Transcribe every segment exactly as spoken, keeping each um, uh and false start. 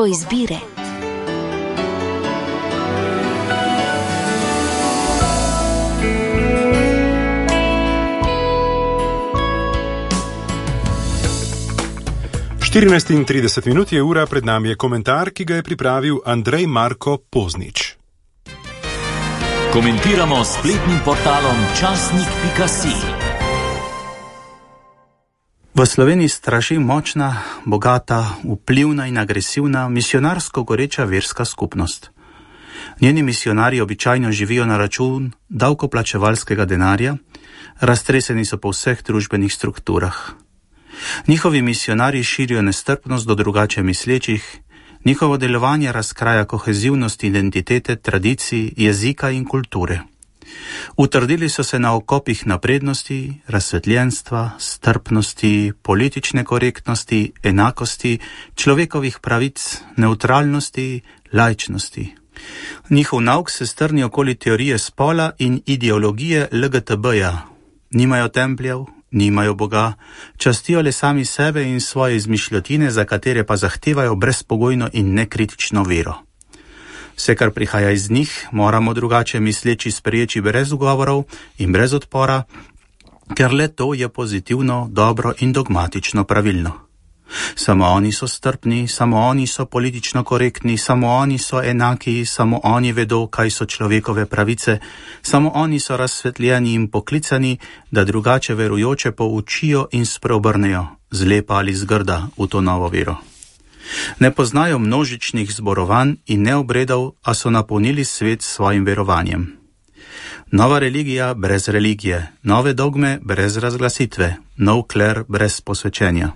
izbire. štirinajst in trideset minut je ura, pred nami je komentar, ki ga je pripravil Andrej Marko Poznič. Komentiramo s spletnim portalom časnik pika si. V Sloveniji straši močna, bogata, vplivna in agresivna, misionarsko goreča verska skupnost. Njeni misionarji običajno živijo na račun davkoplačevalskega denarja, raztreseni so po vseh družbenih strukturah. Njihovi misionarji širijo nestrpnost do drugače mislečih, njihovo delovanje razkraja kohezivnost identitete, tradicij, jezika in kulture. Utrdili so se na okopih naprednosti, razsvetljenstva, strpnosti, politične korektnosti, enakosti, človekovih pravic, neutralnosti, laičnosti. Njihov nauk se strni okoli teorije spola in ideologije el ge te be-ja. Nimajo templjev, nimajo Boga, častijo le sami sebe in svoje izmišljotine, za katere pa zahtevajo brezpogojno in nekritično vero. Vse, kar prihaja iz njih, moramo drugače misleči spreječi brez ugovorov in brez odpora, ker le to je pozitivno, dobro in dogmatično pravilno. Samo oni so strpni, samo oni so politično korektni, samo oni so enaki, samo oni vedo, kaj so človekove pravice, samo oni so razsvetljeni in poklicani, da drugače verujoče poučijo in spreobrnejo, zlepa ali zgrda, v to novo vero. Ne poznajo množičnih zborovanj in ne obredov, a so napolnili svet s svojim verovanjem. Nova religija brez religije, nove dogme brez razglasitve, nov kler brez posvečenja.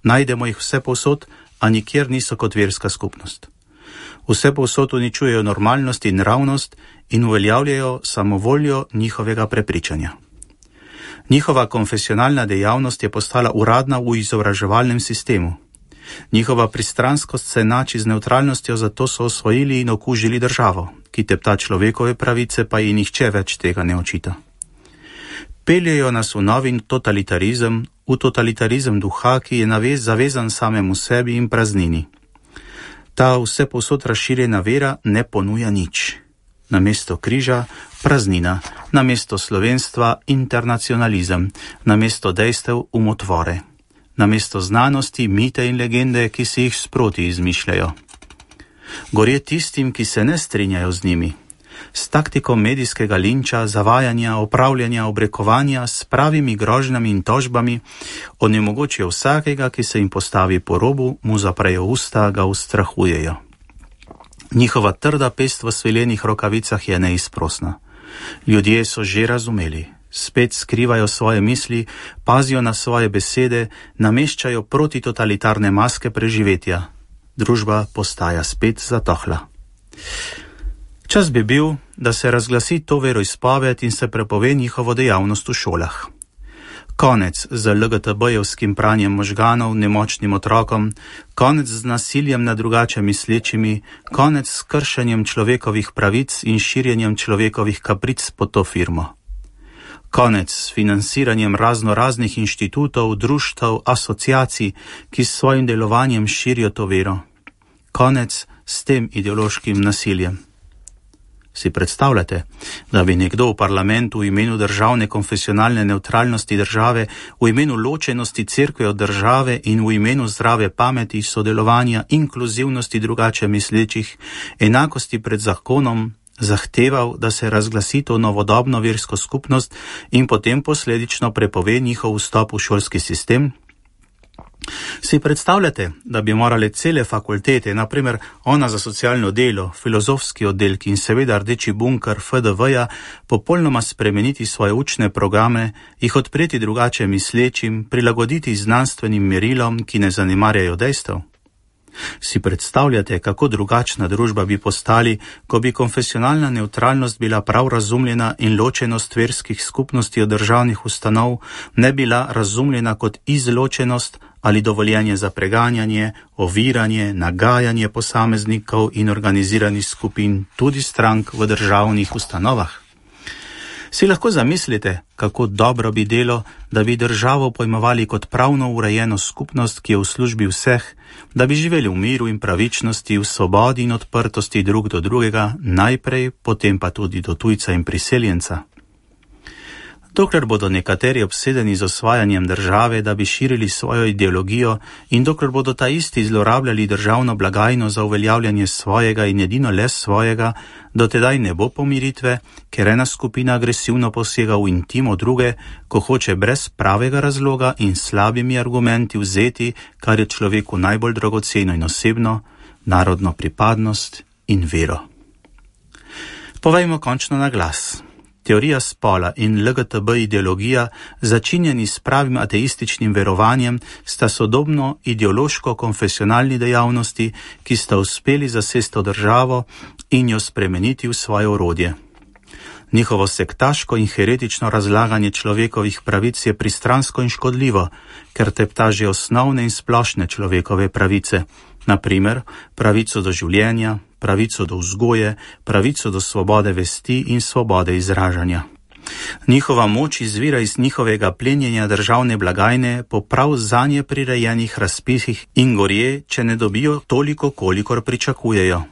Najdemo jih vse povsod, a nikjer niso kot verska skupnost. Vse povsod uničujejo normalnost in ravnost in uveljavljajo samovoljo njihovega prepričanja. Njihova konfesionalna dejavnost je postala uradna v izobraževalnem sistemu. Njihova pristranskost se enači z nevtralnostjo, zato so osvojili in okužili državo, ki tepta človekove pravice, pa ji nihče več tega ne očita. Peljejo nas v novi totalitarizem, v totalitarizem duha, ki je navez zavezan samemu sebi in praznini. Ta vse povsod razširjena vera ne ponuja nič. Namesto križa praznina, namesto slovenstva internacionalizem, namesto dejstev umotvore, namesto znanosti mite in legende, ki si jih sproti izmišljajo. Gorje tistim, ki se ne strinjajo z njimi. S taktiko medijskega linča, zavajanja, opravljanja, obrekovanja, s pravimi grožnjami in tožbami onemogočijo vsakega, ki se jim postavi po robu, mu zaprejo usta, ga ustrahujejo. Njihova trda pest v svilenih rokavicah je neizprosna. Ljudje so že razumeli, spet skrivajo svoje misli, pazijo na svoje besede, nameščajo protitotalitarne maske preživetja. Družba postaja spet zatohla. Čas bi bil, da se razglasi to veroizpoved in se prepove njihovo dejavnost v šolah. Konec z el ge te be-jevskim pranjem možganov nemočnim otrokom, konec z nasiljem nad drugače mislečimi, konec s kršenjem človekovih pravic in širjenjem človekovih kapric pod to firmo. Konec s financiranjem razno raznih inštitutov, društev, asociacij, ki s svojim delovanjem širijo to vero. Konec s tem ideološkim nasiljem. Si predstavljate, da bi nekdo v parlamentu v imenu državne konfesionalne nevtralnosti države, v imenu ločenosti cerkve od države in v imenu zdrave pameti, sodelovanja, inkluzivnosti drugače mislečih, enakosti pred zakonom, zahteval, da se razglasi to novodobno versko skupnost in potem posledično prepove njihov vstop v šolski sistem? Si predstavljate, da bi morale cele fakultete, naprimer ona za socialno delo, filozofski oddelki in seveda rdeči bunker fe de ve-ja, popolnoma spremeniti svoje učne programe, jih odpreti drugače mislečim, prilagoditi znanstvenim merilom, ki ne zanemarjajo dejstev? Si predstavljate, kako drugačna družba bi postali, ko bi konfesionalna nevtralnost bila prav razumljena in ločenost verskih skupnosti od državnih ustanov ne bila razumljena kot izločenost ali dovoljenje za preganjanje, oviranje, nagajanje posameznikov in organiziranih skupin, tudi strank v državnih ustanovah? Si lahko zamislite, kako dobro bi delo, da bi državo pojmovali kot pravno urejeno skupnost, ki je v službi vseh, da bi živeli v miru in pravičnosti, v svobodi in odprtosti drug do drugega, najprej, potem pa tudi do tujca in priseljenca. Dokler bodo nekateri obsedeni z osvajanjem države, da bi širili svojo ideologijo, in dokler bodo ta isti zlorabljali državno blagajno za uveljavljanje svojega in edino le svojega, dotedaj ne bo pomiritve, ker ena skupina agresivno posega v intimo druge, ko hoče brez pravega razloga in slabimi argumenti vzeti, kar je človeku najbolj dragoceno in osebno, narodno pripadnost in vero. Povejmo končno na glas. Teorija spola in L G T B ideologija, začinjeni s pravim ateističnim verovanjem, sta sodobno ideološko-konfesionalni dejavnosti, ki sta uspeli zasesti državo in jo spremeniti v svoje orodje. Njihovo sektaško in heretično razlaganje človekovih pravic je pristransko in škodljivo, ker tepta že osnovne in splošne človekove pravice, na primer pravico do življenja, pravico do vzgoje, pravico do svobode vesti in svobode izražanja. Njihova moč izvira iz njihovega plenjenja državne blagajne po prav zanje prirejenih razpisih in gorje, če ne dobijo toliko, kolikor pričakujejo.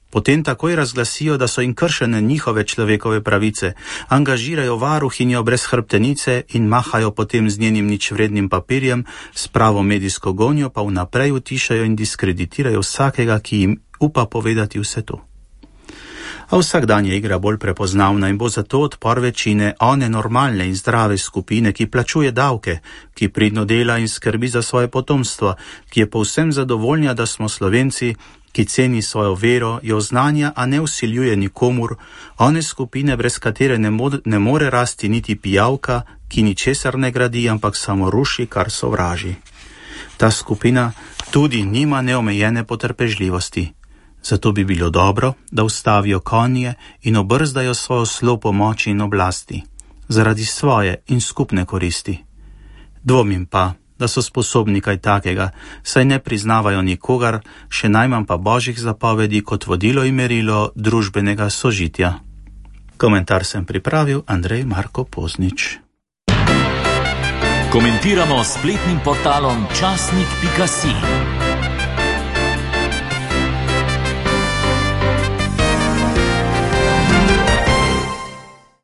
Potem takoj razglasijo, da so jim kršene njihove človekove pravice, angažirajo varuhinjo brez hrbtenice in mahajo potem z njenim ničvrednim papirjem, s pravo medijsko gonjo pa vnaprej utišajo in diskreditirajo vsakega, ki jim upa povedati vse to. A vsak dan je igra bolj prepoznavna in bo zato odpor večine one normalne in zdrave skupine, ki plačuje davke, ki pridno dela in skrbi za svoje potomstvo, ki je povsem zadovoljna, da smo Slovenci, ki ceni svojo vero, jo znanja, a ne vsiljuje nikomur, one skupine, brez katere ne, mod, ne more rasti niti pijavka, ki ničesar ne gradi, ampak samo ruši, kar sovraži. Ta skupina tudi nima neomejene potrpežljivosti. Zato bi bilo dobro, da ustavijo konje in obrzdajo svojo slo po moči in oblasti, zaradi svoje in skupne koristi. Dvomim pa, da so sposobni kaj takega, saj ne priznavajo nikogar, še najmanj pa božjih zapovedi kot vodilo in merilo družbenega sožitja. Komentar sem pripravil Andrej Marko Poznič. Komentiramo s spletnim portalom časnik pika si.